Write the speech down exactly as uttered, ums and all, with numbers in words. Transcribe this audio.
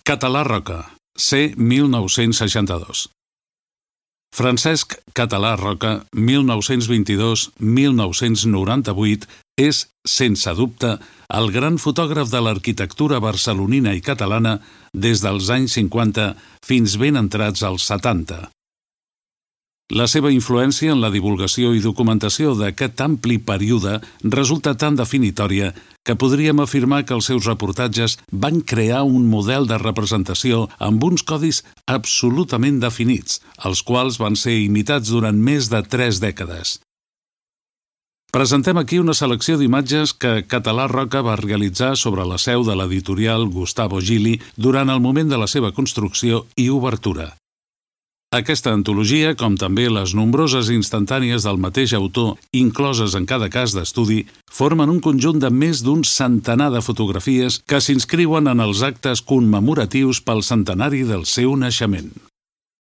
Català Roca, C. mil nou-cents seixanta-dos. Francesc Català Roca, mil nou-cents vint-i-dos a mil nou-cents noranta-vuit, és, sense dubte, el gran fotògraf de l'arquitectura barcelonina i catalana des dels anys cinquanta fins ben entrats als setanta. La seva influència en la divulgació i documentació d'aquest ampli període resulta tan definitòria que podríem afirmar que els seus reportatges van crear un model de representació amb uns codis absolutament definits, els quals van ser imitats durant més de tres dècades. Presentem aquí una selecció d'imatges que Català Roca va realitzar sobre la seu de l'editorial Gustavo Gili durant el moment de la seva construcció i obertura. Aquesta antologia, com també les nombroses instantànies del mateix autor, incloses en cada cas d'estudi, formen un conjunt de més d'un centenar de fotografies que s'inscriuen en els actes commemoratius pel centenari del seu naixement.